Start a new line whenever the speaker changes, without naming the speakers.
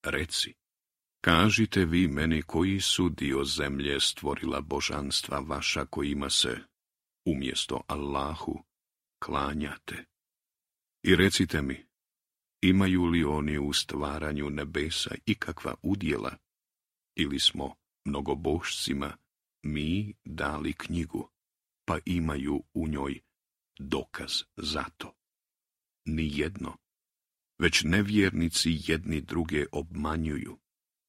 Reci, kažite vi meni koji su dio zemlje stvorila božanstva vaša kojima se, umjesto Allahu, klanjate. I recite mi, imaju li oni u stvaranju nebesa ikakva udjela, ili smo mnogobošcima mi dali knjigu, pa imaju u njoj dokaz za to? Nijedno, već nevjernici jedni druge obmanjuju.